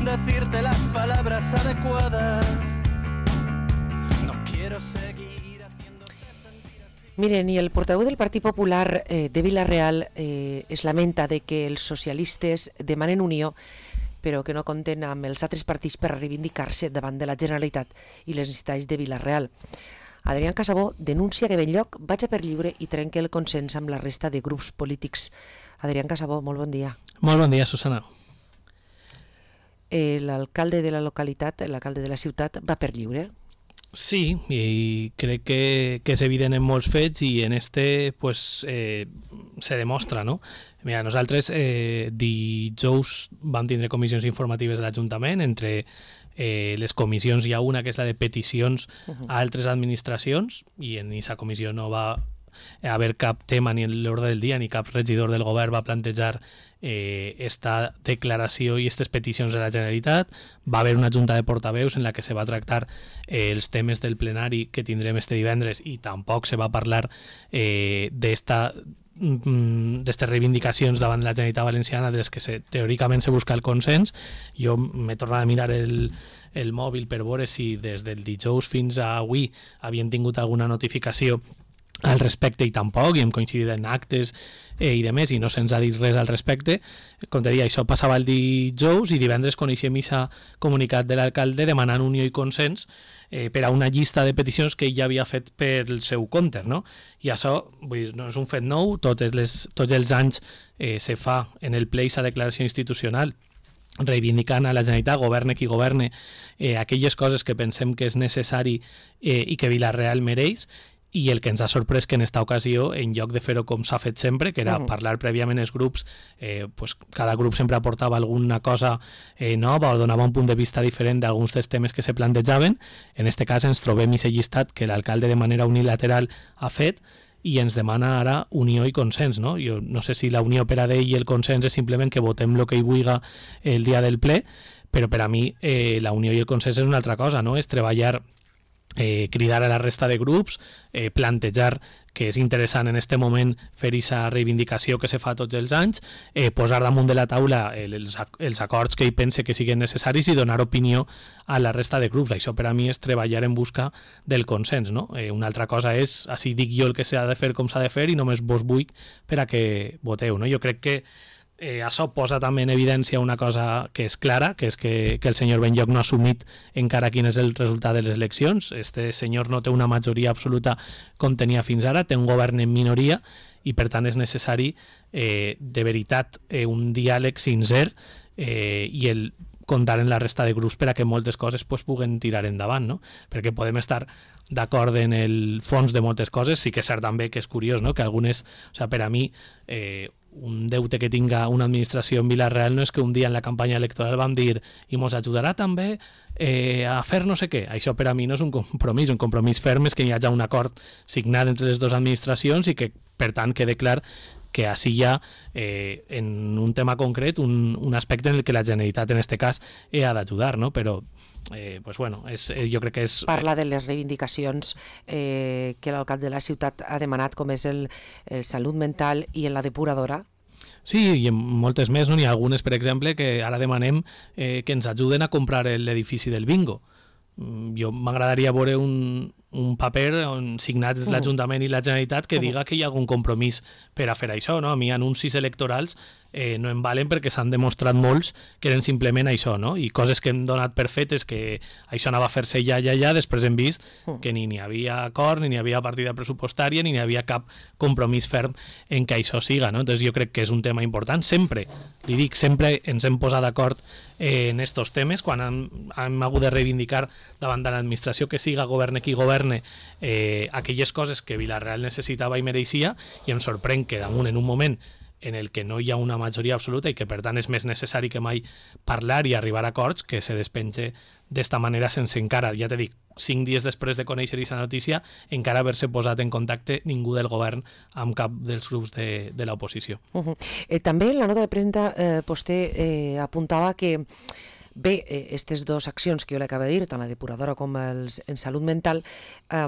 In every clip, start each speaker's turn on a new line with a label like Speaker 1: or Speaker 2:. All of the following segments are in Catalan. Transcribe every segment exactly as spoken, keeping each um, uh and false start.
Speaker 1: decirte las palabras adecuadas. No quiero seguir haciéndote sentir así.
Speaker 2: Miren, y el portaveu del Partit Popular eh, de Vila-real eh, es lamenta de que els socialistes demanen unió però que no compten amb els altres partits per reivindicar-se davant de la Generalitat i les necessitats de Vila-real. Adrián Casabó denuncia que Benlloc vaig a per lliure i trenca el consens amb la resta de grups polítics. Adrián Casabó, molt bon dia.
Speaker 3: Molt bon dia, Susana.
Speaker 2: Eh, l'alcalde de la localitat, l'alcalde de la ciutat, va per lliure?
Speaker 3: Sí, i crec que, que és evident en molts fets i en este pues, eh, se demostra, no? Mira, nosaltres eh, dijous vam tindre comissions informatives de l'Ajuntament. Entre eh, les comissions hi ha una que és la de peticions uh-huh. a altres administracions i en aquesta comissió no va haver cap tema ni en l'ordre del dia ni cap regidor del govern va plantejar eh, esta declaració i aquestes peticions de la Generalitat. Va haver una junta de portaveus en la que se va tractar eh, els temes del plenari que tindrem este divendres i tampoc se va parlar eh, d'esta d'aquestes reivindicacions davant la Generalitat Valenciana de les que se, teòricament se busca el consens. Jo m'he tornat a mirar el, el mòbil per veure si des del dijous fins a avui havien tingut alguna notificació al respecte i tampoc, i hem coincidit en actes eh, i de més, i no se'ns ha dit res al respecte. Com te deia, això passava el dijous i divendres coneixem aquest comunicat de l'alcalde demanant unió i consens eh, per a una llista de peticions que ell ja havia fet per el seu compte, no? I això vull dir, no és un fet nou, totes les, tots els anys eh, se fa en el ple aquesta declaració institucional reivindicant a la Generalitat, governe qui governe, eh, aquelles coses que pensem que és necessari eh, i que Vila-real mereix. I el que ens ha sorprès que en esta ocasió, en lloc de fer-ho com s'ha fet sempre, que era uh-huh. parlar prèviament els grups, eh, pues cada grup sempre aportava alguna cosa eh, nova o donava un punt de vista diferent d'alguns dels temes que se plantejaven. En este cas ens trobem aquest llistat que l'alcalde de manera unilateral ha fet i ens demana ara unió i consens, no? Jo no sé si la unió per a ell i el consens és simplement que votem el que hi vulgui el dia del ple, però per a mi eh, la unió i el consens és una altra cosa, no? És treballar Eh, cridar a la resta de grups, eh, plantejar que és interessant en aquest moment fer aquesta reivindicació que se fa tots els anys, eh, posar damunt de la taula els, els acords que ell pense que siguin necessaris i donar opinió a la resta de grups. Això per a mi és treballar en busca del consens, no? Eh, una altra cosa és, així dic jo el que s'ha de fer com s'ha de fer i només vos vull per a que voteu, no? Jo crec que Eh, això posa també en evidència una cosa que és clara, que és que, que el senyor Benlloc no ha assumit encara quin és el resultat de les eleccions. Este senyor no té una majoria absoluta com tenia fins ara, té un govern en minoria i per tant és necessari eh, de veritat eh, un diàleg sincer eh, i el comptar en la resta de grups per a que moltes coses pues, puguen tirar endavant, no? Perquè podem estar d'acord en el fons de moltes coses, sí que és cert també que és curiós, no? Que algunes, o sea, per a mi eh, un deute que tinga una administració en Vila-real no és que un dia en la campanya electoral vam dir i mos ajudarà també eh, a fer no sé què. Això per a mi no és un compromís, un compromís ferm és que hi hagi un acord signat entre les dues administracions i que per tant quede clar que així hi ha eh, en un tema concret un, un aspecte en el que la Generalitat en aquest cas eh, ha d'ajudar, no? Però eh, pues bueno, és, eh, jo crec que és...
Speaker 2: Parla de les reivindicacions eh, que l'alcalde de la ciutat ha demanat, com és el, el salut mental i en la depuradora.
Speaker 3: Sí, i en moltes més, no? N'hi ha algunes, per exemple, que ara demanem eh, que ens ajuden a comprar l'edifici del bingo. Jo m'agradaria veure un, un paper on signat uh-huh. l'Ajuntament i la Generalitat que uh-huh. diga que hi ha algun compromís per a fer això, no? A mi anuncis electorals eh, no em valen perquè s'han demostrat molts que eren simplement això, no? I coses que hem donat per fetes que això anava a fer-se ja, ja, ja, després hem vist uh-huh. que ni n'hi havia acord, ni n'hi havia partida pressupostària, ni n'hi havia cap compromís ferm en que això siga, no? Entonces jo crec que és un tema important. Sempre, li dic, sempre ens hem posat d'acord eh, en estos temes, quan hem, hem hagut de reivindicar davant de l'administració que siga governe qui governe eh, aquelles coses que Vila-real necessitava i mereixia, i em sorprèn que damunt en un moment en el que no hi ha una majoria absoluta i que per tant és més necessari que mai parlar i arribar a acords, que se despenge d'esta manera sense encara, ja te dic, cinc dies després de conèixer aquesta notícia, encara haver-se posat en contacte ningú del govern amb cap dels grups de, de l'oposició.
Speaker 2: Uh-huh. eh, també en la nota de premsa eh, vostè eh, apuntava que bé, aquestes dues accions que jo l'acabo de dir, tant la depuradora com els, en salut mental, eh,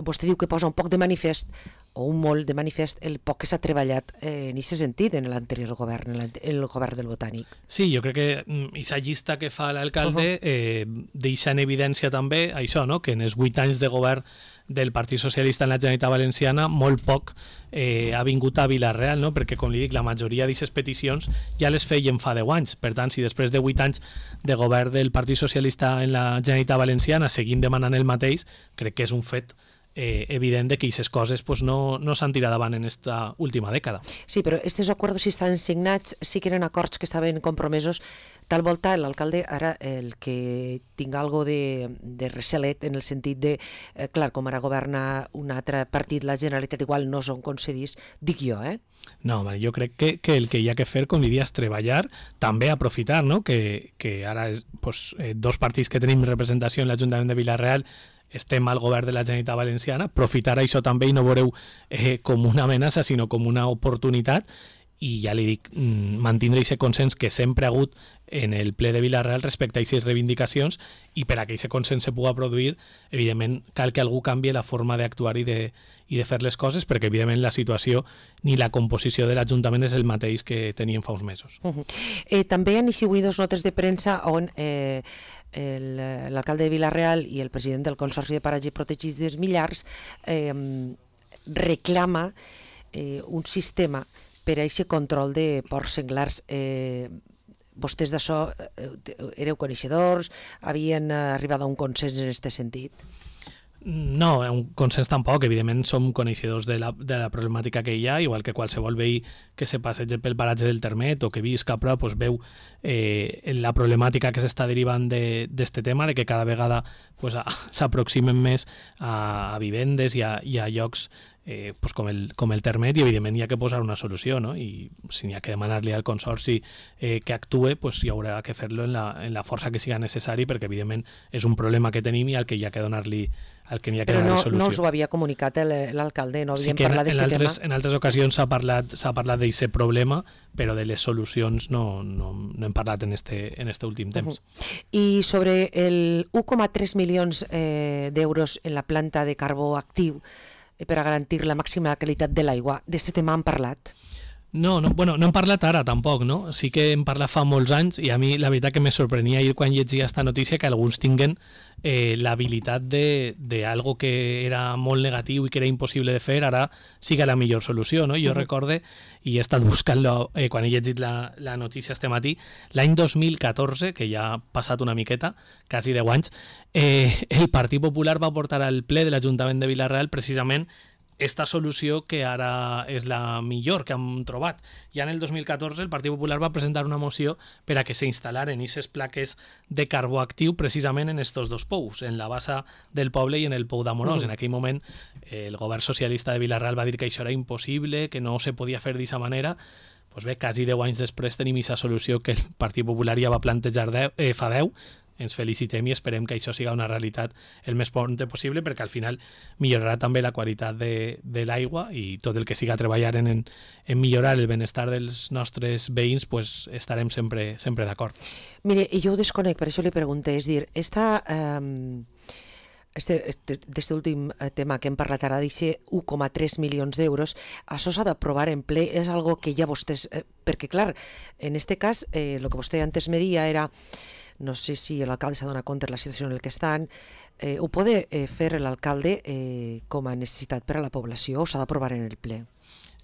Speaker 2: vostè diu que posa un poc de manifest o un molt de manifest el poc que s'ha treballat eh, en aquest sentit en l'anterior govern, en el govern del Botànic.
Speaker 3: Sí, jo crec que aquesta llista que fa l'alcalde uh -huh. eh, deixa en evidència també això, no? Que en els vuit anys de govern del Partit Socialista en la Generalitat Valenciana molt poc eh, ha vingut a Vila-real, no? Perquè, com li dic, la majoria d'aquestes peticions ja les feien fa deu anys. Per tant, si després de vuit anys de govern del Partit Socialista en la Generalitat Valenciana seguim demanant el mateix, crec que és un fet Eh, evident de que aquestes coses pues, no, no s'han tirat davant en esta última dècada.
Speaker 2: Sí, però aquests acords si estan signats sí que eren acords que estaven compromesos. Tal volta l'alcalde ara el que tinga algo de, de recelet en el sentit de, eh, clar, com ara governa un altre partit, la Generalitat igual no són concedits, dic jo, eh?
Speaker 3: No, home, jo crec que, que el que hi ha que fer, com diria, és treballar, també aprofitar, no? Que, que ara és, pues, eh, dos partits que tenim representació en l'Ajuntament de Vila-real estem al govern de la Generalitat Valenciana, aprofitar això també i no veureu eh, com una amenaça, sinó com una oportunitat, i ja li dic, mantindre aquest consens que sempre ha hagut en el ple de Vila-real respecte a aquestes reivindicacions, i per a que aquest consens se pugui produir, evidentment cal que algú canvi la forma d'actuar i de, i de fer les coses, perquè evidentment la situació ni la composició de l'Ajuntament és el mateix que teníem fa uns mesos.
Speaker 2: Uh -huh. eh, també han eixit dos notes de premsa on eh, l'alcalde de Vila-real i el president del Consorci de Paratges Protegits dels Millars eh, reclama eh, un sistema per a aquest control de porcs senglars. Eh, vostès d'això eh, éreu coneixedors? Havien arribat a un consens en aquest sentit?
Speaker 3: No, un consens tampoc. Evidentment som coneixedors de la, de la problemàtica que hi ha, igual que qualsevol veí que se passeja pel paratge del Termet o que visca a prop, pues, veu eh, la problemàtica que s'està derivant d'aquest de, tema, de que cada vegada pues, s'aproximen més a, a vivendes i a, i a llocs eh, pues, com, el, com el Termet, i evidentment hi ha que posar una solució, no? I si n'hi ha que demanar-li al Consorci eh, que actue, pues, hi haurà que fer-lo en la, en la força que siga necessari, perquè evidentment és un problema que tenim i al que hi ha que donar-li el que n'hi ha que
Speaker 2: Però
Speaker 3: donar
Speaker 2: no,
Speaker 3: solució.
Speaker 2: no us ho havia comunicat l'alcalde, no havien
Speaker 3: sí
Speaker 2: parlat d'aquest tema?
Speaker 3: En altres ocasions s'ha parlat, s'ha parlat d'aquest problema, però de les solucions no, no, no hem parlat en este, en este últim temps.
Speaker 2: Uh-huh. I sobre el un coma tres milions eh, d'euros en la planta de carbó actiu eh, per a garantir la màxima qualitat de l'aigua, d'aquest tema han parlat?
Speaker 3: No, no, bueno, no hem parlat ara tampoc, no? Sí que hem parlat fa molts anys, i a mi la veritat que me sorprenia ahir quan llegia esta notícia que alguns tinguen eh, l'habilitat de, de algo que era molt negatiu i que era impossible de fer, ara siga la millor solució, no? Jo uh-huh. recorde, i he estat buscant-lo eh, quan he llegit la, la notícia este matí, l'any dos mil catorze, que ja ha passat una miqueta, quasi deu anys, eh, el Partit Popular va portar al ple de l'Ajuntament de Vila-real precisament esta solució que ara és la millor que hem trobat. Ja en el dos mil catorze el Partit Popular va presentar una moció per a que s'instal·laren aquestes plaques de carbó actiu precisament en estos dos pous, en la bassa del poble i en el pou d'Amorós. Mm. En aquell moment eh, el govern socialista de Vila-real va dir que això era impossible, que no se podia fer d'aquesta manera. Pues bé, quasi deu anys després tenim aquesta solució que el Partit Popular ja va plantejar deu, eh, fa deu. Ens felicitem i esperem que això siga una realitat el més prompte possible, perquè al final millorarà també la qualitat de, de l'aigua, i tot el que siga treballar en, en millorar el benestar dels nostres veïns, pues estarem sempre, sempre d'acord.
Speaker 2: Mire, jo ho desconec, per això li pregunto, és dir, esta, um, este, este, este últim tema que hem parlat ara, d'aquest un coma tres milions d'euros, això s'ha d'aprovar en ple, és algo que ja vostès... Eh, perquè, clar, en este cas, eh, el que vostè antes me dia era... No sé si l'alcalde s'ha donat compte de la situació en la que estan. Eh, ho pot eh, fer l'alcalde eh, com a necessitat per a la població o s'ha d'aprovar en el ple?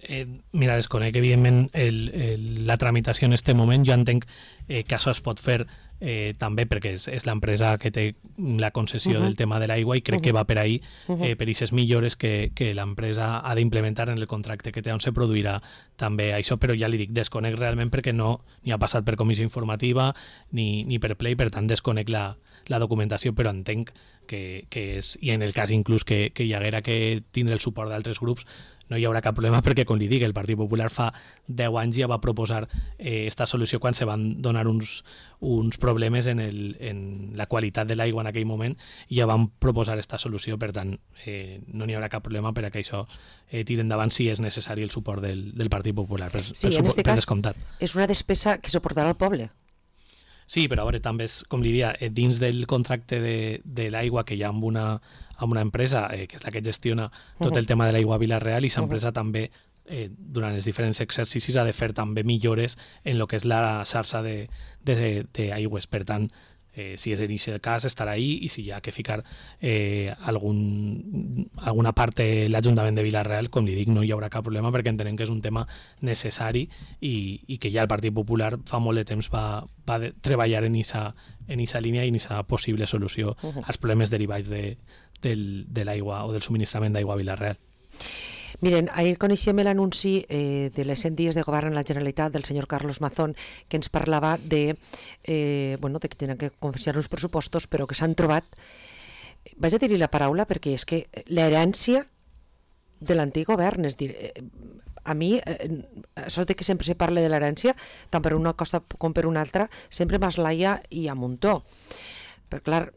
Speaker 3: Eh, mira, desconec, evidentment, el, el, la tramitació en aquest moment. Jo entenc eh, que això es pot fer eh, també perquè és, és l'empresa que té la concessió uh-huh. del tema de l'aigua, i crec uh-huh. que va per ahí, uh-huh. eh, per aquestes millores que, que l'empresa ha d'implementar en el contracte que té, on se produirà també això, però ja li dic, desconec realment perquè no ni ha passat per comissió informativa ni, ni per ple, i per tant desconec la, la documentació, però entenc que, que és, i en el cas inclús que, que hi haguera que tindre el suport d'altres grups, no hi haurà cap problema, perquè, com li dic, el Partit Popular fa deu anys ja va proposar eh, esta solució quan se van donar uns, uns problemes en, el, en la qualitat de l'aigua en aquell moment, i ja van proposar esta solució. Per tant, eh, no n'hi haurà cap problema per a que això eh, tiri endavant si és necessari el suport del, del Partit Popular. Per,
Speaker 2: sí,
Speaker 3: per,
Speaker 2: en aquest
Speaker 3: per
Speaker 2: cas
Speaker 3: descomptat.
Speaker 2: És una despesa que suportarà el poble.
Speaker 3: Sí, però a veure, també és, com li dia, eh, dins del contracte de, de l'aigua que hi ha amb una, amb una empresa, eh, que és la que gestiona tot el tema de l'aigua a Vila-real, i l'empresa també, eh, durant els diferents exercicis, ha de fer també millores en el que és la xarxa d'aigües. Per tant, eh, si és en aquest cas, estarà ahí, i si hi ha que ficar eh, algun, alguna part de l'Ajuntament de Vila-real, com li dic, no hi haurà cap problema, perquè entenem que és un tema necessari i, i que ja el Partit Popular fa molt de temps va, va de, treballar en aquesta en esa línia i en aquesta possible solució uh -huh. als problemes derivats de, del, de l'aigua o del subministrament d'aigua a Vila-real.
Speaker 2: Miren, ahir coneixem l'anunci eh, de les cent dies de govern en la Generalitat del senyor Carlos Mazón, que ens parlava de, eh, bueno, de que tenen que confessar uns pressupostos, però que s'han trobat, vaig a dir-li la paraula perquè és que l'herència de l'antic govern, és dir, eh, a mi, eh, això de que sempre se parla de l'herència, tant per una costa com per una altra, sempre m'eslaia i a muntó. Però clar,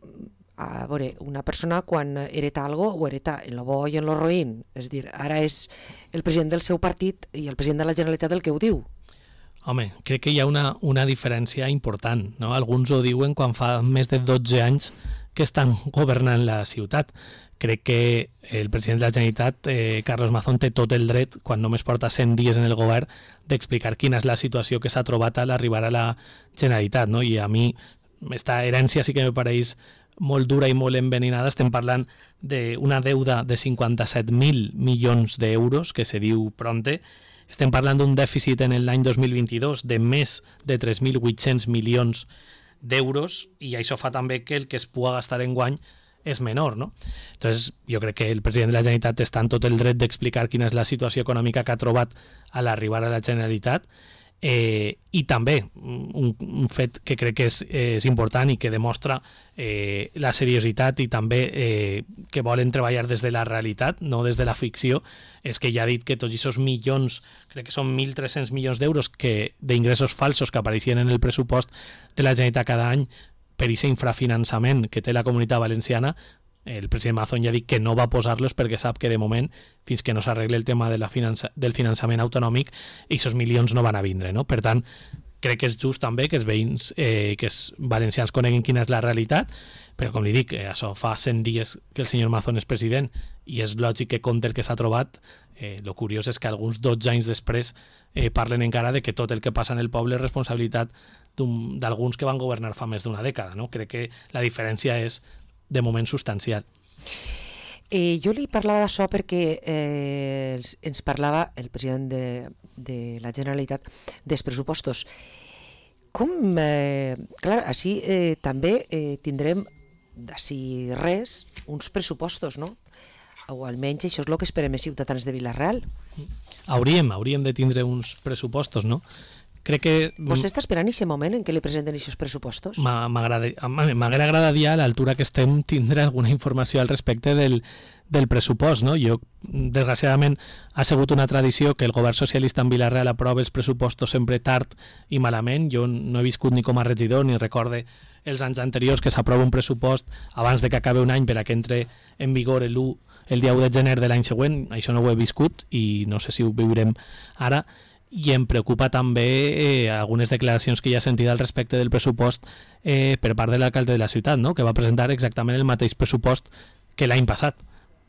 Speaker 2: a veure, una persona quan hereta algo ho hereta en lo bo i en lo roïn, és dir, ara és el president del seu partit i el president de la Generalitat el que ho diu.
Speaker 3: Home, crec que hi ha una, una diferència important, no? Alguns ho diuen quan fa més de dotze anys que estan governant la ciutat. Crec que el president de la Generalitat, eh, Carlos Mazón, té tot el dret, quan només porta cent dies en el govern, d'explicar quina és la situació que s'ha trobat a l'arribar a la Generalitat, no? I a mi, aquesta herència sí que me pareix molt dura i molt enveninada. Estem parlant d'una deuda de cinquanta-set mil milions d'euros, que se diu pronte. Estem parlant d'un dèficit en l'any dos mil vint-i-dos de més de tres mil vuit-cents milions d'euros, i això fa també que el que es pugui gastar en guany és menor, no? Entonces, jo crec que el president de la Generalitat està en tot el dret d'explicar quina és la situació econòmica que ha trobat a l'arribar a la Generalitat. Eh, i també un, un fet que crec que és, eh, és important i que demostra eh, la seriositat i també eh, que volen treballar des de la realitat, no des de la ficció, és que ja ha dit que tots aquests milions, crec que són mil tres-cents milions d'euros que d'ingressos falsos que apareixien en el pressupost de la Generalitat cada any per aquest infrafinançament que té la Comunitat Valenciana, el president Mazón ja ha dit que no va posar-los perquè sap que de moment, fins que no s'arregle el tema de la finança, del finançament autonòmic, aquests milions no van a vindre, no? Per tant, crec que és just també que els veïns, eh, que els valencians coneguin quina és la realitat, però com li dic, eh, això fa cent dies que el senyor Mazón és president i és lògic que compte el que s'ha trobat. Eh, lo curiós és que alguns dotze anys després eh, parlen encara de que tot el que passa en el poble és responsabilitat d'alguns que van governar fa més d'una dècada, no? Crec que la diferència és de moment substancial.
Speaker 2: Eh, jo li parlava d'això perquè eh, ens parlava el president de, de la Generalitat dels pressupostos. Com, eh, clar, així eh, també eh, tindrem d'ací res uns pressupostos, no? O almenys això és el que esperem els ciutadans de Vila-real.
Speaker 3: Hauríem, hauríem de tindre uns pressupostos, no? Crec que...
Speaker 2: Vostè està esperant aquest moment en què li presenten aquests pressupostos?
Speaker 3: M'haguera agradaria a l'altura que estem tindre alguna informació al respecte del, del pressupost, no? Jo, desgraciadament, ha sigut una tradició que el govern socialista en Vila-real aprova els pressupostos sempre tard i malament. Jo no he viscut ni com a regidor ni recorde els anys anteriors que s'aprova un pressupost abans de que acabi un any per a que entre en vigor l'u el dia u de gener de l'any següent. Això no ho he viscut i no sé si ho viurem ara. I em preocupa també eh, algunes declaracions que ja he sentit al respecte del pressupost eh, per part de l'alcalde de la ciutat, no? Que va presentar exactament el mateix pressupost que l'any passat.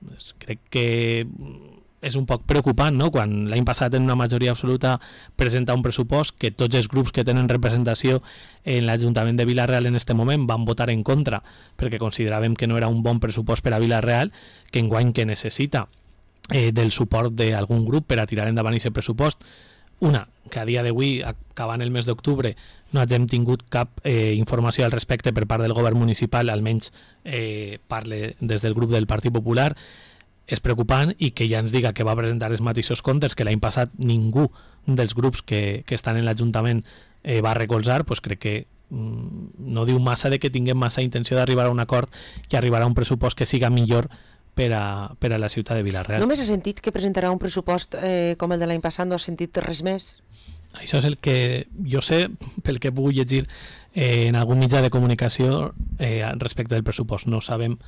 Speaker 3: Pues crec que és un poc preocupant, no? Quan l'any passat en una majoria absoluta presenta un pressupost que tots els grups que tenen representació en l'Ajuntament de Vila-real en este moment van votar en contra perquè consideràvem que no era un bon pressupost per a Vila-real, que enguany que necessita eh, del suport d'algun grup per a tirar endavant aquest pressupost. Una, que a dia d'avui, acabant el mes d'octubre, no hagin tingut cap eh, informació al respecte per part del govern municipal, almenys eh, parle des del grup del Partit Popular, és preocupant, i que ja ens diga que va presentar els mateixos comptes que l'any passat ningú dels grups que, que estan en l'Ajuntament eh, va recolzar, pues crec que mm, no diu massa de que tinguem massa intenció d'arribar a un acord i arribar a un pressupost que siga millor per a, per a la ciutat de Vila-real.
Speaker 2: Només has sentit que presentarà un pressupost eh, com el de l'any passat? No has sentit res més?
Speaker 3: Això és el que jo sé, pel que he pogut llegir eh, en algun mitjà de comunicació eh, respecte del pressupost. No sabem,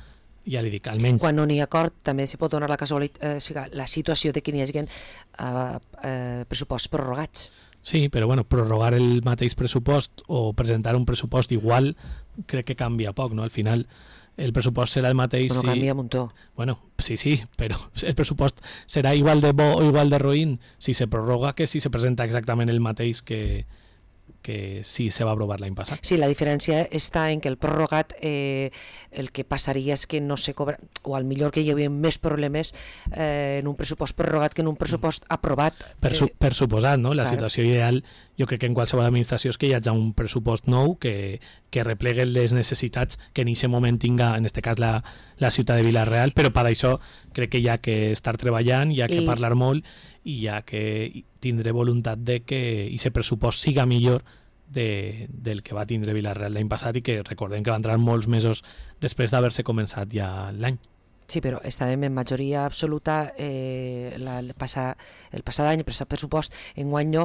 Speaker 3: ja li dic, almenys...
Speaker 2: Quan no n'hi ha acord, també s'hi pot donar la casualitat, eh, la situació de que n'hi hagi eh, eh, pressuposts prorrogats.
Speaker 3: Sí, però bueno, prorrogar el mateix pressupost o presentar un pressupost igual crec que canvia poc, no? Al final el pressupost serà el mateix...
Speaker 2: Bueno,
Speaker 3: si...
Speaker 2: canvia un muntó.
Speaker 3: Bueno, sí, sí, però el pressupost serà igual de bo o igual de roïn si se prorroga que si se presenta exactament el mateix que, que sí se va aprovar l'any passat.
Speaker 2: Sí, la diferència està en que el prorrogat eh, el que passaria és que no se cobra, o al millor que hi havia més problemes eh, en un pressupost prorrogat que en un pressupost aprovat.
Speaker 3: Per, su per suposat, no? La
Speaker 2: Clar.
Speaker 3: situació ideal jo crec que en qualsevol administració és que hi hagi un pressupost nou que, que replegui les necessitats que en aquest moment tinga, en aquest cas, la, la ciutat de Vila-real, però per això crec que hi ha que estar treballant, hi ha que
Speaker 2: I...
Speaker 3: parlar molt i hi ha que tindre voluntat de que aquest pressupost siga millor de, del que va tindre Vila-real l'any passat i que recordem que va entrar molts mesos després d'haver-se començat ja l'any.
Speaker 2: Sí, però estàvem en majoria absoluta eh, la, el, passar, el passat any, el passat pressupost, en guany no.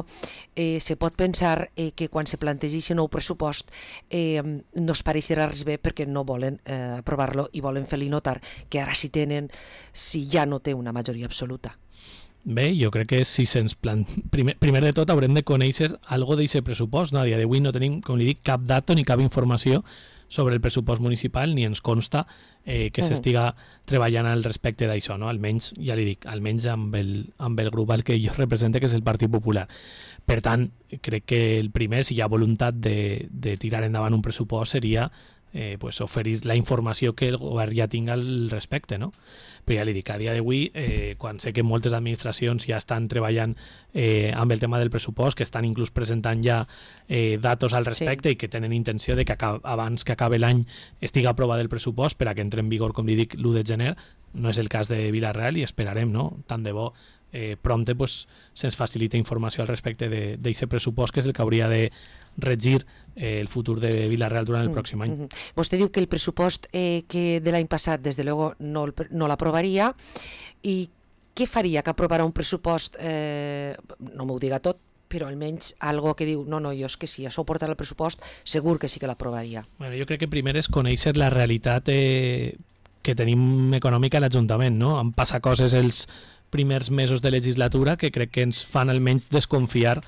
Speaker 2: Eh, se pot pensar eh, que quan se plantegi aquest nou pressupost eh, no es pareixerà res bé perquè no volen eh, aprovar-lo i volen fer-li notar que ara sí tenen, si ja no té una majoria absoluta.
Speaker 3: Bé, jo crec que si se'ns plan... Primer, primer de tot haurem de conèixer algo d'aquest pressupost. No? A dia d'avui no tenim, com li dic, cap dato ni cap informació sobre el pressupost municipal ni ens consta eh, que uh -huh. s'estiga treballant al respecte d'això, no? Almenys, ja li dic, almenys amb el, amb el grup al que jo represente, que és el Partit Popular. Per tant, crec que el primer, si hi ha voluntat de, de tirar endavant un pressupost, seria eh, pues, oferir la informació que el govern ja tinga al respecte, no? Però ja li dic, a dia d'avui, eh, quan sé que moltes administracions ja estan treballant eh, amb el tema del pressupost, que estan inclús presentant ja eh, datos al respecte sí. i que tenen intenció de que abans que acabe l'any estigui aprovat el pressupost per a que entre en vigor, com li dic, l'u de gener. No és el cas de Vila-real i esperarem, no? Tant de bo eh, prompte pues, se'ns facilita informació al respecte d'aquest pressupost, que és el que hauria de regir eh, el futur de Vila-real durant el mm, pròxim any.
Speaker 2: Mm -hmm. Vostè diu que el pressupost eh, que de l'any passat, des de luego, no, no l'aprovaria, i què faria que aprovarà un pressupost, eh, no m'ho diga tot, però almenys algo que diu, no, no, jo és que si això ho porta al pressupost, segur que sí que l'aprovaria.
Speaker 3: Bueno, jo crec que primer és conèixer la realitat eh, que tenim econòmica a l'Ajuntament, no? Han passat coses els primers mesos de legislatura que crec que ens fan almenys desconfiar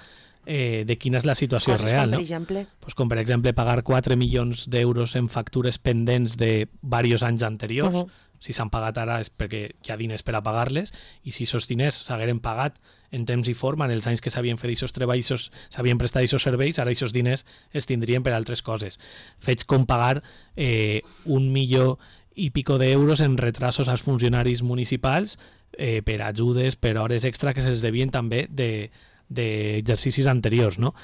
Speaker 3: eh, de quina és la situació
Speaker 2: Coses
Speaker 3: real.
Speaker 2: Com, per
Speaker 3: no?
Speaker 2: exemple?
Speaker 3: Pues com per exemple pagar quatre milions d'euros en factures pendents de diversos anys anteriors. Uh -huh. Si s'han pagat ara és perquè hi ha diners per a pagar-les, i si aquests diners s'hagueren pagat en temps i forma en els anys que s'havien fet aquests treballs, s'havien prestat aquests serveis, ara aquests diners es tindrien per altres coses. Fets com pagar eh, un milió i pico d'euros en retrasos als funcionaris municipals eh, per ajudes, per hores extra que se'ls devien també d'exercicis de, anteriors, no?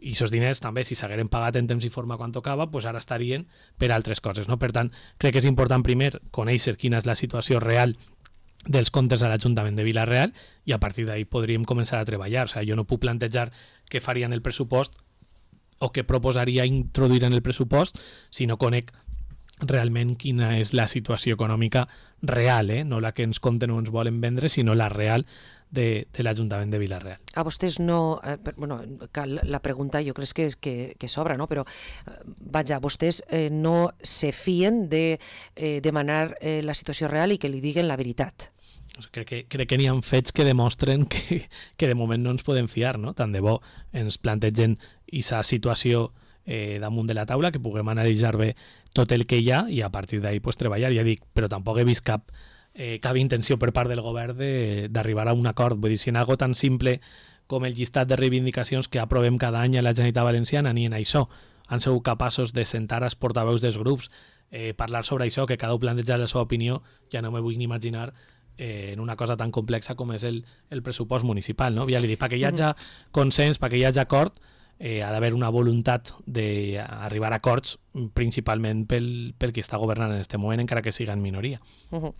Speaker 3: I aquests diners també, si s'hagueren pagat en temps i forma quan tocava, pues ara estarien per altres coses, no? Per tant, crec que és important primer conèixer quina és la situació real dels comptes a l'Ajuntament de Vila-real i a partir d'ahí podríem començar a treballar. O sigui, jo no puc plantejar què faria en el pressupost o què proposaria introduir en el pressupost si no conec realment quina és la situació econòmica real, eh? No la que ens compten o ens volen vendre, sinó la real de, de l'Ajuntament de Vila-real.
Speaker 2: A vostès no... Eh, bueno, la pregunta jo crec que, és, que, que s'obre, no? Però, eh, vaja, vostès eh, no se fien de eh, demanar eh, la situació real i que li diguen la veritat.
Speaker 3: Crec que, crec que n'hi ha fets que demostren que, que de moment no ens podem fiar, no? Tant de bo ens plantegen aquesta situació eh, damunt de la taula, que puguem analitzar bé tot el que hi ha i a partir d'ahí pues, treballar, ja dic, però tampoc he vist cap Eh, cap intenció per part del govern d'arribar a un acord. Vull dir, si en algo tan simple com el llistat de reivindicacions que aprovem cada any a la Generalitat Valenciana, ni en això han sigut capaços de sentar els portaveus dels grups, eh, parlar sobre això, que cada un plantejar la seva opinió, ja no me vull ni imaginar eh, en una cosa tan complexa com és el, el pressupost municipal, no? Ja li dic, perquè hi hagi consens, perquè hi hagi acord, Eh, ha d'haver una voluntat d'arribar a acords principalment pel, pel qui està governant en aquest moment, encara que siga en minoria.
Speaker 2: Uh -huh.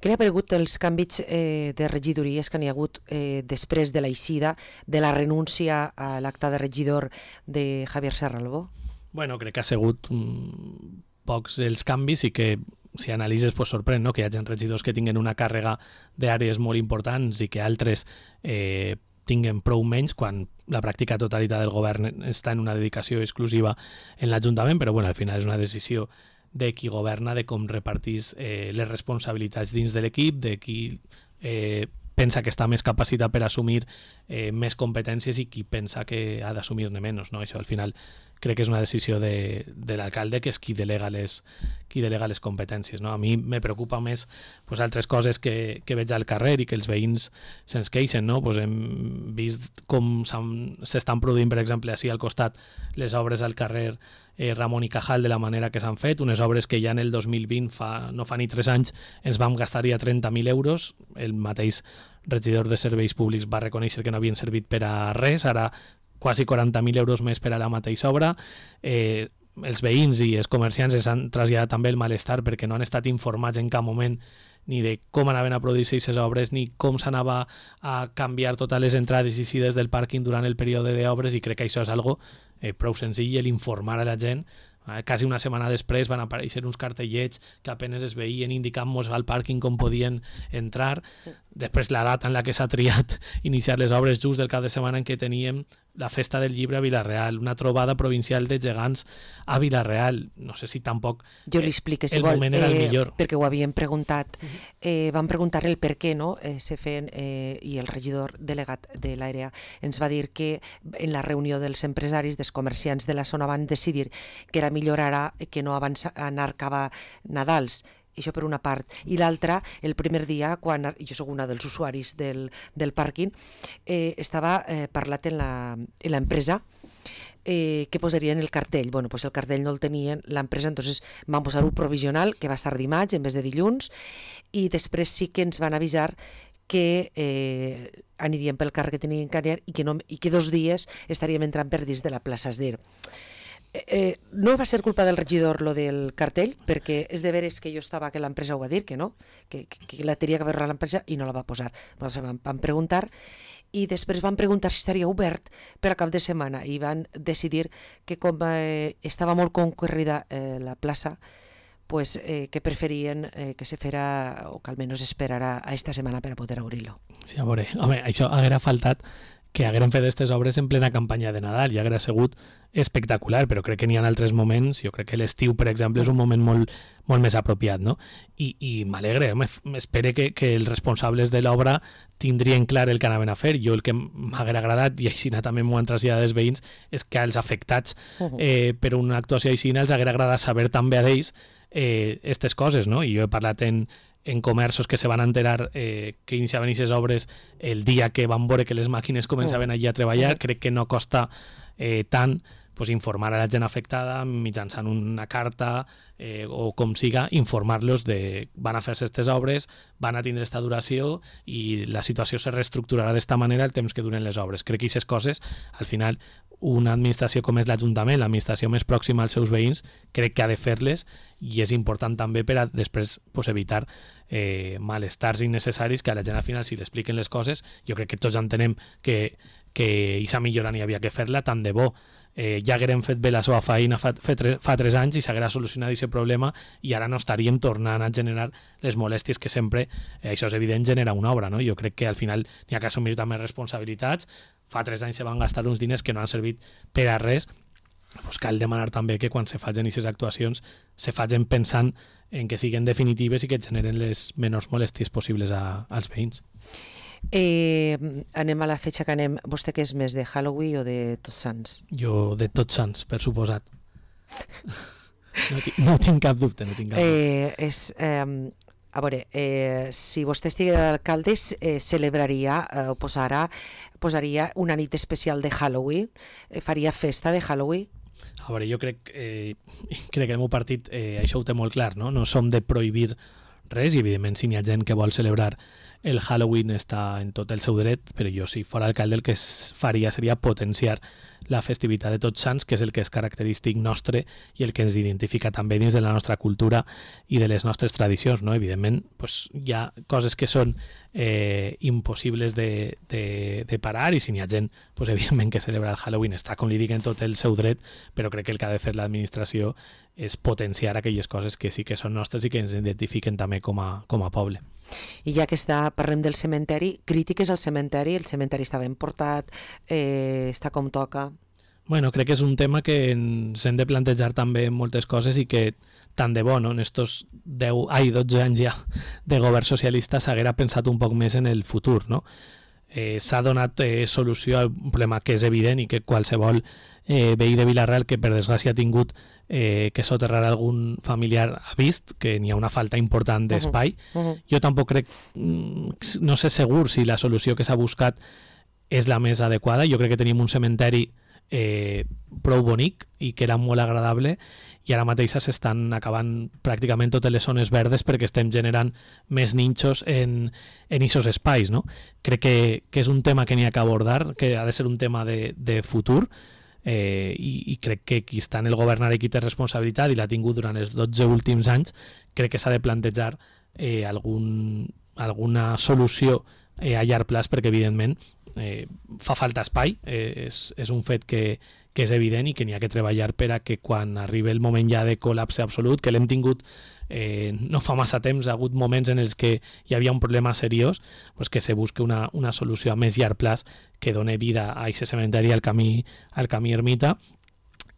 Speaker 2: Què li ha paregut els canvis eh, de regidories que n'hi ha hagut eh, després de l'eixida de la renúncia a l'acte de regidor de Javier Serralbó?
Speaker 3: Bueno, crec que ha sigut um, pocs els canvis i que si analitzes pues, sorprèn, no? Que hi hagi regidors que tinguen una càrrega d'àrees molt importants i que altres eh, tinguen prou menys quan la pràctica totalitat del govern està en una dedicació exclusiva en l'Ajuntament, però bueno, al final és una decisió de qui governa, de com repartís eh, les responsabilitats dins de l'equip, de qui eh, pensa que està més capacitat per assumir eh, més competències i qui pensa que ha d'assumir-ne menys, no? Això al final crec que és una decisió de, de l'alcalde, que és qui delega les, qui delega les competències, no? A mi me preocupa més pues, altres coses que, que veig al carrer i que els veïns se'ns queixen, no? Pues hem vist com s'estan produint, per exemple, així al costat les obres al carrer eh, Ramon i Cajal de la manera que s'han fet, unes obres que ja en el dos mil vint, fa, no fa ni tres anys, ens vam gastar ja trenta mil euros. El mateix regidor de Serveis Públics va reconèixer que no havien servit per a res, ara quasi quaranta mil euros més per a la mateixa obra. Eh, els veïns i els comerciants es han traslladat també el malestar perquè no han estat informats en cap moment ni de com anaven a produir-se aquestes obres, ni com s'anava a canviar totes les entrades i eixides del pàrquing durant el període d'obres, i crec que això és algo eh, prou senzill, l'informar a la gent. Eh, quasi una setmana després van aparèixer uns cartellets que apenes es veien indicant-nos al pàrquing com podien entrar. Després la data en la que s'ha triat iniciar les obres, just del cap de setmana en què teníem la Festa del Llibre a Vila-real, una trobada provincial de gegants a Vila-real. No sé si tampoc
Speaker 2: jo li explique, si
Speaker 3: el
Speaker 2: vol,
Speaker 3: moment era el
Speaker 2: eh,
Speaker 3: millor.
Speaker 2: Perquè ho havien preguntat. Eh, van preguntar-li el per què, no? Eh, se feien, eh, i el regidor delegat de l'àrea ens va dir que en la reunió dels empresaris, dels comerciants de la zona, van decidir que era millor ara que no abans anar cap a Nadals. Això per una part. I l'altra, el primer dia, quan jo soc una dels usuaris del, del pàrquing, eh, estava eh, parlat en l'empresa eh, que posarien el cartell. Bueno, pues el cartell no el tenien l'empresa, entonces van posar-ho provisional, que va estar dimarts en vez de dilluns, i després sí que ens van avisar que eh, anirien pel carrer que tenien que anar i que, no, i que dos dies estaríem entrant per dins de la plaça Esder. Eh, no va ser culpa del regidor lo del cartell, perquè és de veres que jo estava que l'empresa ho va dir, que no, que, que, que la tenia que veure l'empresa i no la va posar. Nosaltres vam, vam preguntar i després van preguntar si estaria obert per a cap de setmana i van decidir que com eh, estava molt concorrida eh, la plaça, pues, eh, que preferien eh, que se fera o que almenys esperara a esta setmana per a poder obrir-lo.
Speaker 3: Sí, a veure, home, això haguera faltat que hagueren fet aquestes obres en plena campanya de Nadal i haguera sigut espectacular, però crec que n'hi ha altres moments. Jo crec que l'estiu, per exemple, és un moment molt, molt més apropiat, no? I, i m'alegre, m'espero que, que els responsables de l'obra tindrien clar el que anaven a fer. Jo el que m'haguera agradat, i així també m'ho han traslladat els veïns, és que als afectats eh, per una actuació així els haguera agradat saber també a d'ells aquestes eh, coses, no? I jo he parlat en en comerços que se van enterar eh, que iniciaven aquestes obres el dia que van veure que les màquines començaven allí a treballar. Crec que no costa eh, tant pues, informar a la gent afectada mitjançant una carta eh, o com siga, informar-los de van a fer-se aquestes obres, van a tindre esta duració i la situació se reestructurarà d'esta manera el temps que duren les obres. Crec que aquestes coses, al final, una administració com és l'Ajuntament, l'administració més pròxima als seus veïns, crec que ha de fer-les i és important també per a després pues, evitar eh, malestars innecessaris que a la gent al final si l'expliquen les coses, jo crec que tots entenem que que aquesta millora n'hi havia que fer-la, tant de bo eh, ja haguérem fet bé la seva feina fa, fa, tre, fa tres anys i s'haguera solucionat aquest problema i ara no estaríem tornant a generar les molèsties que sempre, eh, això és evident, genera una obra, no? Jo crec que al final n'hi ha que assumir també responsabilitats. Fa tres anys se van gastar uns diners que no han servit per a res. Pues cal demanar també que quan se facin aquestes actuacions se facin pensant en que siguin definitives i que generen les menors molèsties possibles a, als veïns.
Speaker 2: Eh, anem a la fetge que anem. Vostè què és més, de Halloween o de Tots Sants?
Speaker 3: Jo de Tots Sants, per suposat. No, no tinc cap dubte, no tinc cap dubte.
Speaker 2: Eh, és, eh, a veure, eh, si vostè estigués d'alcalde, eh, celebraria eh, o posarà, posaria una nit especial de Halloween, eh, faria festa de Halloween?
Speaker 3: A veure, jo crec, eh, crec que el meu partit eh, això ho té molt clar, no? No som de prohibir res i evidentment si n'hi ha gent que vol celebrar el Halloween està en tot el seu dret, però jo si fora alcalde el que es faria seria potenciar la festivitat de Tots Sants, que és el que és característic nostre i el que ens identifica també dins de la nostra cultura i de les nostres tradicions, no? Evidentment, pues, hi ha coses que són eh, impossibles de, de, de parar i si n'hi ha gent, pues, evidentment que celebra el Halloween està, com li dic, en tot el seu dret, però crec que el que ha de fer l'administració és potenciar aquelles coses que sí que són nostres i que ens identifiquen també com a, com a poble.
Speaker 2: I ja que està, parlem del cementeri, crítiques al cementeri, el cementeri està ben portat, eh, està com toca.
Speaker 3: Bueno, crec que és un tema que ens hem de plantejar també moltes coses i que tant de bo, no? En estos deu, ai, dotze anys ja de govern socialista s'haguera pensat un poc més en el futur, no? Eh, s'ha donat eh, solució al problema que és evident i que qualsevol eh, veí de Vila-real que per desgràcia ha tingut eh, que soterrar algun familiar ha vist que n'hi ha una falta important d'espai. Uh -huh. Uh -huh. Jo tampoc crec, no sé segur si la solució que s'ha buscat és la més adequada. Jo crec que tenim un cementeri eh, prou bonic i que era molt agradable i ara mateix s'estan acabant pràcticament totes les zones verdes perquè estem generant més ninxos en, en aquests espais, no? Crec que, que és un tema que n'hi ha que abordar, que ha de ser un tema de, de futur, eh, i, i crec que qui està en el govern ara i qui té responsabilitat i l'ha tingut durant els dotze últims anys, crec que s'ha de plantejar eh, algun, alguna solució eh, a llarg plaç perquè evidentment eh, fa falta espai, eh, és, és un fet que que és evident i que n'hi ha que treballar per a que quan arribi el moment ja de col·lapse absolut, que l'hem tingut eh, no fa massa temps, ha hagut moments en els que hi havia un problema seriós, pues que se busque una, una solució a més llarg plaç que doni vida a aquest cementeri al camí, al camí ermita,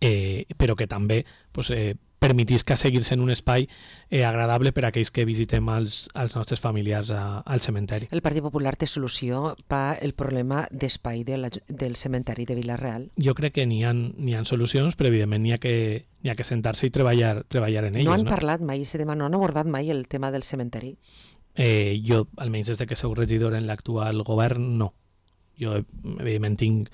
Speaker 3: eh, però que també pues, eh, permetís que seguir sent un espai eh, agradable per a aquells que visitem els, els nostres familiars a, al cementeri.
Speaker 2: El Partit Popular té solució per el problema d'espai de la, del cementeri de Vila-real?
Speaker 3: Jo crec que n'hi ha, n'hi ha solucions, però evidentment n'hi ha que, n'hi ha que sentar-se i treballar, treballar en elles.
Speaker 2: No han
Speaker 3: no?
Speaker 2: parlat mai, ese tema, no han abordat mai el tema del cementeri?
Speaker 3: Eh, jo, almenys des de que sou regidor en l'actual govern, no. Jo, evidentment, tinc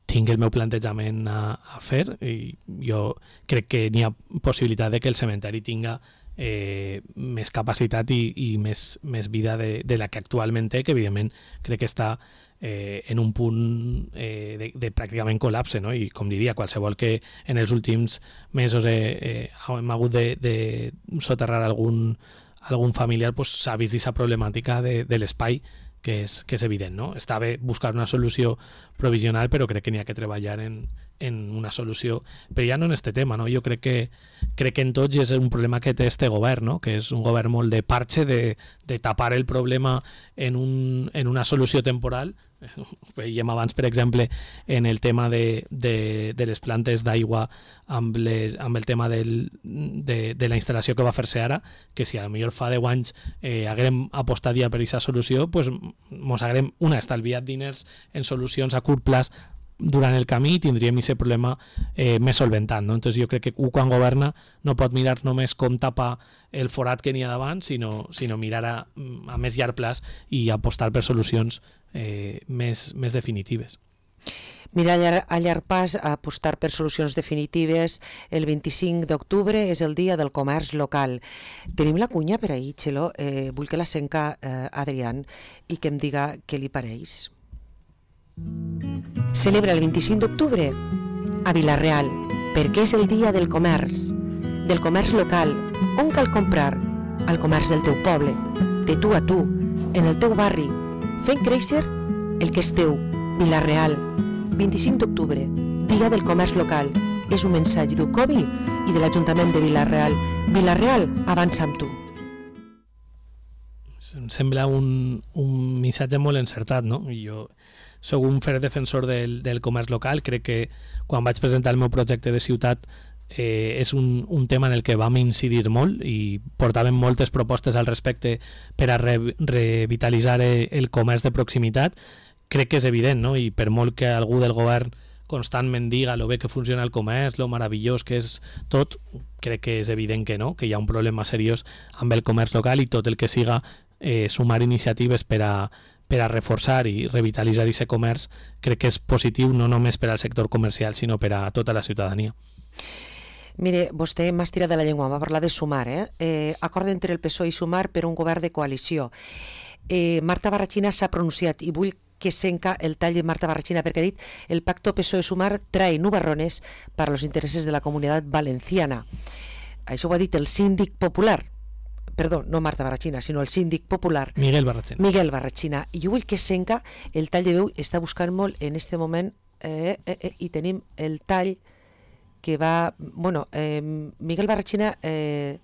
Speaker 3: tinc el meu plantejament a, a fer i jo crec que n'hi ha possibilitat de que el cementeri tinga eh, més capacitat i, i més, més vida de, de la que actualment té, que evidentment crec que està eh, en un punt eh, de, de pràcticament col·lapse, no? I com diria, qualsevol que en els últims mesos eh, eh, hem hagut de, de soterrar algun, algun familiar, pues, s'ha vist aquesta problemàtica de, de l'espai que és, que és evident, no? Està bé buscar una solució provisional, però crec que n'hi ha que treballar en, en una solució, però ja no en este tema, no? Jo crec que, crec que en tots és un problema que té este govern, no? Que és un govern molt de parche, de, de tapar el problema en, un, en una solució temporal. Veiem abans, per exemple, en el tema de, de, de les plantes d'aigua amb, les, amb el tema del, de, de la instal·lació que va fer-se ara, que si a lo millor fa deu anys eh, haguem apostat ja per aquesta solució, pues, mos haguem, una, estalviat diners en solucions a curt plaç durant el camí i tindríem aquest problema eh, més solventat, no? Entonces jo crec que un quan governa no pot mirar només com tapar el forat que n'hi ha davant, sinó, sinó mirar a, a més llarg plaç i apostar per solucions eh, més, més definitives.
Speaker 2: Mira, a llarg, a llarg pas, a apostar per solucions definitives, el vint-i-cinc d'octubre és el dia del comerç local. Tenim la cunya per ahir, Txelo, eh, vull que la senca eh, Adrián i que em diga què li pareix. Celebra el vint-i-cinc d'octubre a Vila-real, perquè és el dia del comerç, del comerç local, on cal comprar al comerç del teu poble, de tu a tu, en el teu barri, fent créixer el que és teu. Vila-real, vint-i-cinc d'octubre, dia del comerç local. És un missatge d'Ucovi i de l'Ajuntament de Vila-real. Vila-real, avança amb tu.
Speaker 3: Em sembla un, un missatge molt encertat, no? Jo soc un ferm defensor del, del comerç local. Crec que quan vaig presentar el meu projecte de ciutat eh, és un, un tema en el que vam incidir molt i portàvem moltes propostes al respecte per a re, revitalitzar el comerç de proximitat. Crec que és evident, no? I per molt que algú del govern constantment diga lo bé que funciona el comerç, lo meravellós que és tot, crec que és evident que no, que hi ha un problema seriós amb el comerç local i tot el que siga eh, sumar iniciatives per a, per a reforçar i revitalitzar aquest comerç, crec que és positiu no només per al sector comercial, sinó per a tota la ciutadania.
Speaker 2: Mire, vostè m'ha estirat de la llengua, va parlar de sumar, eh? eh acord entre el P S O E i Sumar per un govern de coalició. Eh, Marta Barrachina s'ha pronunciat i vull que senca el tall de Marta Barrachina perquè ha dit el pacto P S O E-Sumar trae nubarrones para los intereses de la comunidad valenciana. Això ho ha dit el síndic popular, perdó, no Marta Barrachina, sinó el síndic popular
Speaker 3: Miguel Barrachina.
Speaker 2: Miguel Barrachina. I jo vull que senca el tall de veu, està buscant molt en este moment eh, eh, eh, i tenim el tall que va... Bueno, eh, Miguel Barrachina eh,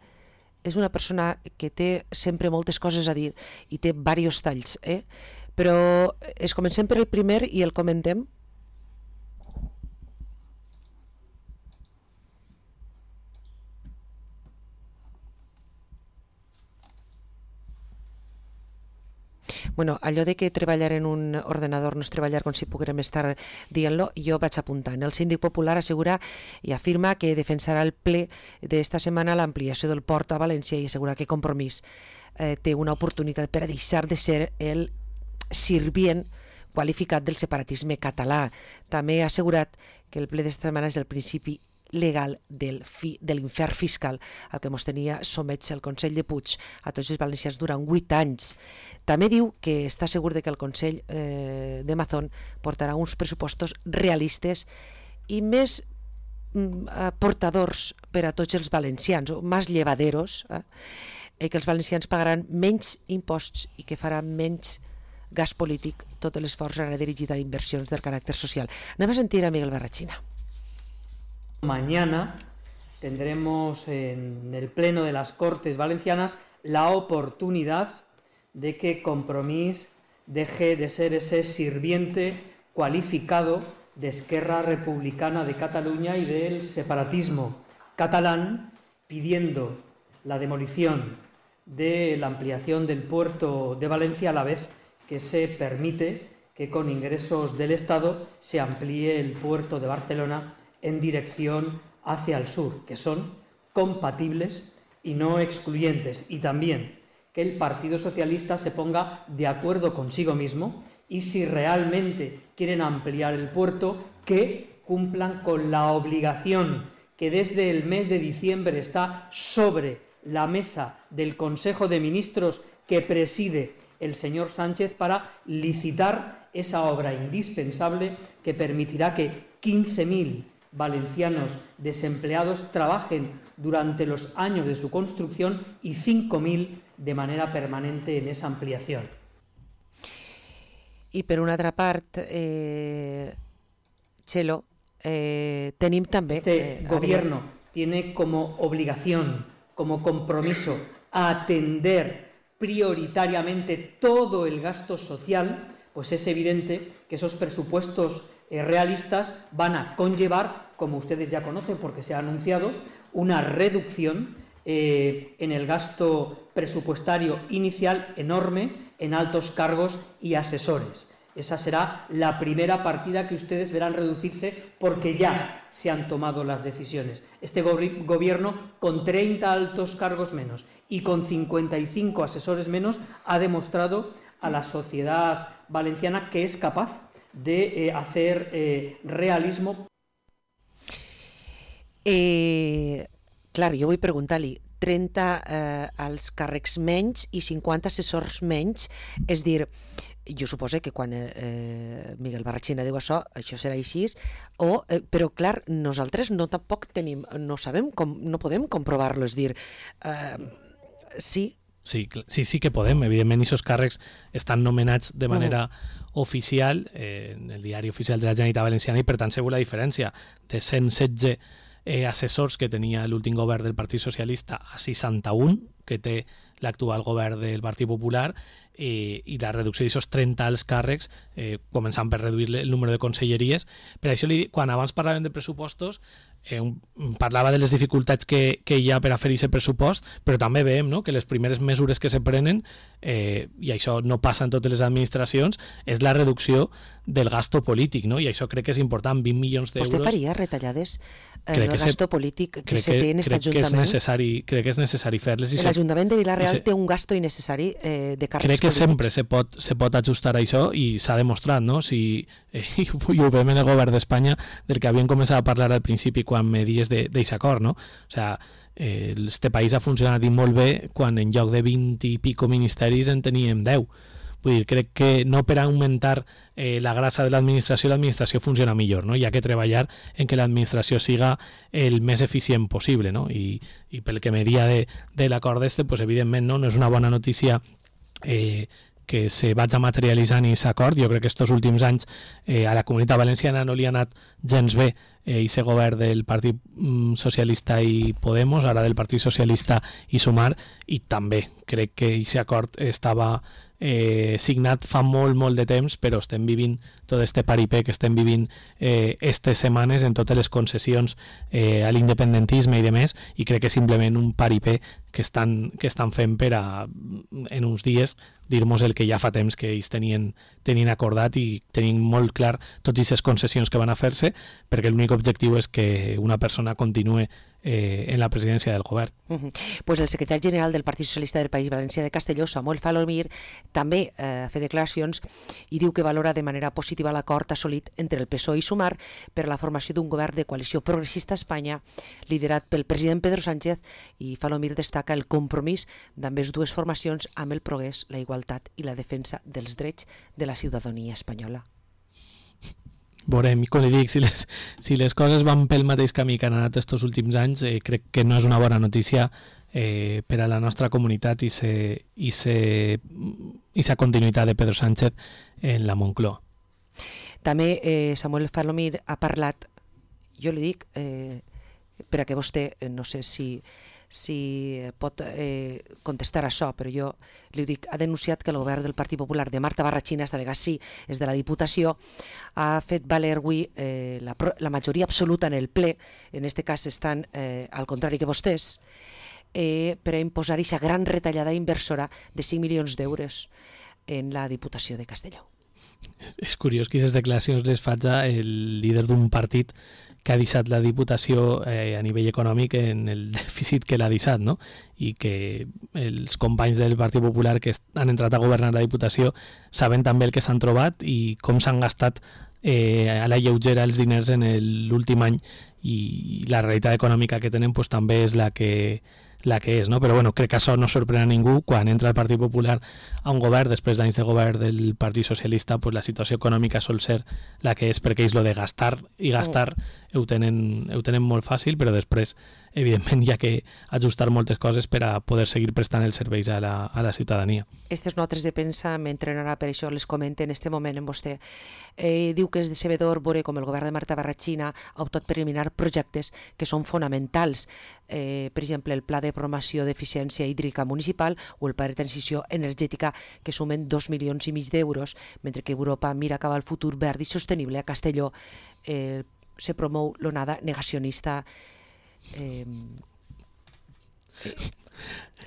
Speaker 2: és una persona que té sempre moltes coses a dir i té diversos talls, eh? Però es comencem per el primer i el comentem. Bueno, allò de que treballar en un ordenador no és treballar com si poguérem estar dient-lo, jo vaig apuntant. El síndic popular assegura i afirma que defensarà el ple d'esta setmana l'ampliació del port a València i assegura que Compromís eh, té una oportunitat per a deixar de ser el sirvient qualificat del separatisme català. També ha assegurat que el ple d'esta setmana és el principi legal del fi, de l'infern fiscal al que mos tenia somets el Consell de Puig a tots els valencians durant vuit anys. També diu que està segur de que el Consell eh, de Mazón portarà uns pressupostos realistes i més mm, portadors per a tots els valencians, o més llevaderos, eh? I que els valencians pagaran menys imposts i que faran menys gas polític, tot l'esforç serà dirigit a inversions del caràcter social. Anem a sentir a Miguel Barrachina.
Speaker 4: Mañana tendremos en el Pleno de las Cortes Valencianas la oportunidad de que Compromís deje de ser ese sirviente cualificado de Esquerra Republicana de Cataluña y del separatismo catalán, pidiendo la demolición de la ampliación del puerto de Valencia, a la vez que se permite que con ingresos del Estado se amplíe el puerto de Barcelona en dirección hacia el sur, que son compatibles y no excluyentes, y también que el Partido Socialista se ponga de acuerdo consigo mismo y, si realmente quieren ampliar el puerto, que cumplan con la obligación que desde el mes de diciembre está sobre la mesa del Consejo de Ministros que preside el señor Sánchez para licitar esa obra indispensable que permitirá que quince mil valencianos desempleados trabajen durante los años de su construcción y cinco mil de manera permanente en esa ampliación.
Speaker 2: I per una altra part, eh, Txelo, eh, tenim també...
Speaker 4: Este
Speaker 2: eh,
Speaker 4: gobierno
Speaker 2: Adrià...
Speaker 4: tiene como obligación, como compromiso, atender prioritariamente todo el gasto social, pues es evidente que esos presupuestos eh, realistas van a conllevar, como ustedes ya conocen porque se ha anunciado, una reducción eh, en el gasto presupuestario inicial enorme en altos cargos y asesores. Esa será la primera partida que ustedes verán reducirse porque ya se han tomado las decisiones. Este go- gobierno, con treinta altos cargos menos y con cincuenta y cinco asesores menos, ha demostrado a la sociedad valenciana que es capaz de eh, hacer eh, realismo.
Speaker 2: Eh, clar, jo vull preguntar-li, trenta eh, als càrrecs menys i cinquanta assessors menys, és dir, jo suposo que quan eh, Miguel Barrachina diu això, això serà així, o, eh, però clar, nosaltres no tampoc tenim, no sabem, com, no podem comprovar-lo, és dir, eh, sí.
Speaker 3: Sí, sí, sí que podem. Evidentment, aquests càrrecs estan nomenats de manera uh-huh. oficial eh, en el diari oficial de la Generalitat Valenciana i, per tant, segur la diferència de cent setze eh, assessors que tenia l'últim govern del Partit Socialista a seixanta-un que té l'actual govern del Partit Popular eh, i la reducció d'aquests trenta alts càrrecs, eh, començant per reduir el número de conselleries. Per això, li, quan abans parlàvem de pressupostos, eh, un, parlava de les dificultats que, que hi ha per a fer aquest pressupost, però també veiem, no?, que les primeres mesures que se prenen, eh, i això no passa en totes les administracions, és la reducció del gasto polític, no? I això crec que és important, vint milions d'euros.
Speaker 2: Vostè faria retallades en el gasto
Speaker 3: se,
Speaker 2: polític que se té en aquest Ajuntament?
Speaker 3: Que és necessari, crec que és necessari fer-les.
Speaker 2: L'Ajuntament de Vila-real se, té un gasto innecessari eh, de càrrecs
Speaker 3: crec que
Speaker 2: polítics.
Speaker 3: Sempre se pot, se pot ajustar a això i s'ha demostrat, no? Si, eh, i ho veiem en el govern d'Espanya, del que havíem començat a parlar al principi quan me dies d'aquest acord, no? O sea, eh, este país ha funcionat molt bé quan en lloc de vint i pico ministeris en teníem deu. Vull dir, crec que no per augmentar eh, la grasa de l'administració, l'administració funciona millor, no? Hi ha que treballar en que l'administració siga el més eficient possible, no? I, i pel que me dia de, de l'acord este, pues, evidentment no, no és una bona notícia eh, que se vaig a materialitzar en aquest acord. Jo crec que estos últims anys eh, a la Comunitat Valenciana no li ha anat gens bé eh, ese govern del Partit mm, Socialista i Podemos, ara del Partit Socialista i Sumar, i també crec que aquest acord estava eh, signat fa molt, molt de temps, però estem vivint tot este paripé que estem vivint eh, estes setmanes en totes les concessions eh, a l'independentisme i demés, i crec que és simplement un paripé que estan, que estan fent per a, en uns dies, dir-nos el que ja fa temps que ells tenien, tenien acordat i tenien molt clar totes les concessions que van a fer-se, perquè l'únic objectiu és que una persona continue eh, en la presidència del govern.
Speaker 2: Uh-huh. Pues el secretari general del Partit Socialista del País Valencià de Castelló, Samuel Falomir, també eh, fa declaracions i diu que valora de manera positiva l'acord assolit entre el P S O E i Sumar per la formació d'un govern de coalició progressista a Espanya liderat pel president Pedro Sánchez, i Falomir destaca el compromís d'ambes dues formacions amb el progrés, la igualtat i la defensa dels drets de la ciutadania espanyola.
Speaker 3: Veurem, i com li dic, si les, si les coses van pel mateix camí que han anat estos últims anys, eh, crec que no és una bona notícia eh, per a la nostra comunitat i se, i se, i sa continuïtat de Pedro Sánchez en la Moncloa.
Speaker 2: També eh, Samuel Falomir ha parlat, jo li dic, eh, per a que vostè, eh, no sé si si pot eh, contestar això, però jo li dic, ha denunciat que el govern del Partit Popular de Marta Barrachina, esta vegada sí, és de la Diputació, ha fet valer avui eh, la, la majoria absoluta en el ple, en aquest cas estan eh, al contrari que vostès, eh, per a imposar aquesta gran retallada inversora de cinc milions d'euros en la Diputació de Castelló.
Speaker 3: És curiós que aquestes declaracions les faig el líder d'un partit que ha deixat la Diputació eh, a nivell econòmic en el dèficit que l'ha deixat, no? I que els companys del Partit Popular que han entrat a governar la Diputació saben també el que s'han trobat i com s'han gastat eh, a la lleugera els diners en l'últim any, i la realitat econòmica que tenen pues, també és la que la que és, no? Però bueno, crec que això no sorprèn a ningú. Quan entra el Partit Popular a un govern, després d'anys de govern del Partit Socialista, pues la situació econòmica sol ser la que és, perquè ells lo de gastar i gastar mm. ho, tenen, ho tenen molt fàcil, però després evidentment hi ha que ajustar moltes coses per a poder seguir prestant els serveis a la, a la ciutadania.
Speaker 2: Aquestes notes de premsa m'entrenarà, per això les comento en este moment en vostè. Eh, diu que és decebedor veure com el govern de Marta Barrachina ha optat per eliminar projectes que són fonamentals, eh, per exemple el Pla de Promoció d'Eficiència Hídrica Municipal o el Pla de Transició Energètica, que sumen dos milions i mig d'euros, mentre que Europa mira cap al futur verd i sostenible. A Castelló eh, se promou l'onada negacionista. Eh,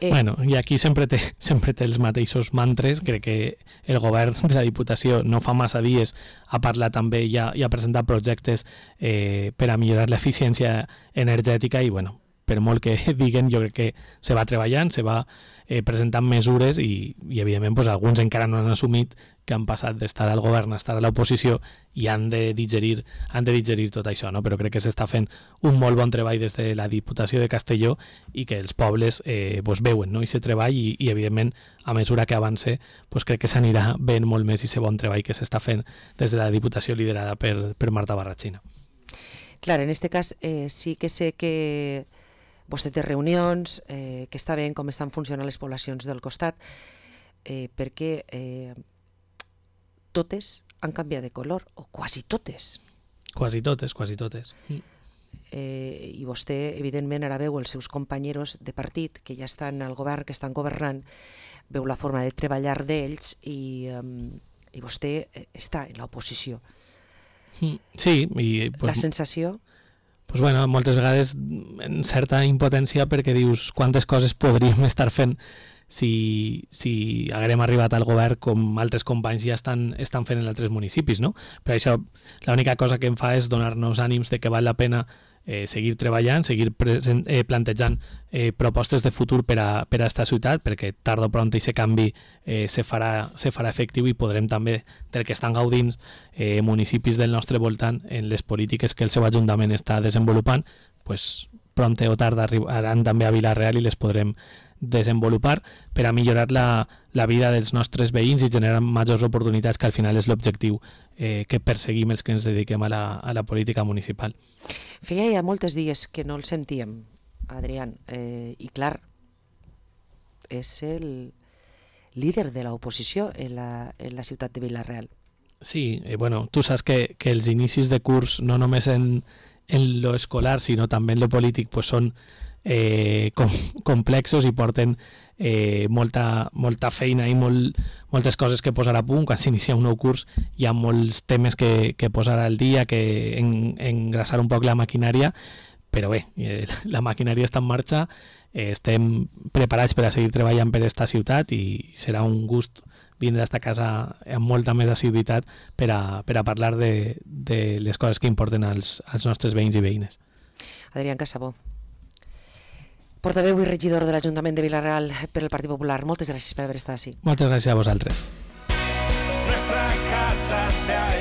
Speaker 2: eh,
Speaker 3: bueno, i aquí sempre té, sempre té els mateixos mantres. Crec que el govern de la Diputació no fa massa dies ha parlat també i ha, i ha presentat projectes eh, per a millorar l'eficiència energètica, i bueno, per molt que diguen, jo crec que se va treballant, se va eh, presentant mesures, i, i evidentment pues, alguns encara no han assumit que han passat d'estar al govern a estar a l'oposició i han de digerir, han de digerir tot això, no? Però crec que s'està fent un molt bon treball des de la Diputació de Castelló i que els pobles eh, pues, veuen, no? I se treball, i, i evidentment a mesura que avance pues, crec que s'anirà veient molt més i ese bon treball que s'està fent des de la Diputació liderada per, per Marta Barrachina.
Speaker 2: Clar, en aquest cas eh, sí que sé que vostè té reunions, eh, que està bé com estan funcionant les poblacions del costat, eh, perquè eh, totes han canviat de color, o quasi totes.
Speaker 3: Quasi totes, quasi totes. Mm.
Speaker 2: Eh, I vostè, evidentment, ara veu els seus companys de partit, que ja estan al govern, que estan governant, veu la forma de treballar d'ells, i, um, i vostè està en l'oposició.
Speaker 3: Mm. Sí. I, pues,
Speaker 2: la sensació...
Speaker 3: Pues bueno, moltes vegades en certa impotència, perquè dius quantes coses podríem estar fent si, si haguérem arribat al govern com altres companys ja estan, estan fent en altres municipis, no? Per això l'única cosa que em fa és donar-nos ànims de que val la pena eh, seguir treballant, seguir present, eh, plantejant eh, propostes de futur per a, per a esta ciutat, perquè tard o pront aquest canvi eh, se, farà, se farà efectiu, i podrem també, del que estan gaudint eh, municipis del nostre voltant en les polítiques que el seu Ajuntament està desenvolupant, pues, pront o tard arribaran també a Vila-real i les podrem desenvolupar per a millorar la, la vida dels nostres veïns i generar majors oportunitats, que al final és l'objectiu eh, que perseguim els que ens dediquem a la, a la política municipal.
Speaker 2: Feia ja moltes dies que no el sentíem, Adrián, eh, i clar, és el líder de l'oposició en la, en la ciutat de Vila-real.
Speaker 3: Sí, eh, bueno, tu saps que, que els inicis de curs, no només en, en lo escolar, sinó també en lo polític, pues són eh, com, complexos i porten eh, molta, molta feina i molt, moltes coses que posar a punt. Quan s'inicia un nou curs hi ha molts temes que, que posar al dia, que en, engrasar un poc la maquinària, però bé, eh, la maquinària està en marxa, eh, estem preparats per a seguir treballant per aquesta ciutat i serà un gust vindre a esta casa amb molta més assiduïtat per a, per a parlar de, de les coses que importen als, als nostres veïns i veïnes.
Speaker 2: Adrián Casabó, portaveu i regidor de l'Ajuntament de Vila-real per el Partit Popular. Moltes gràcies per haver estat així.
Speaker 3: Moltes gràcies a vosaltres.
Speaker 1: Nuestra casa se ha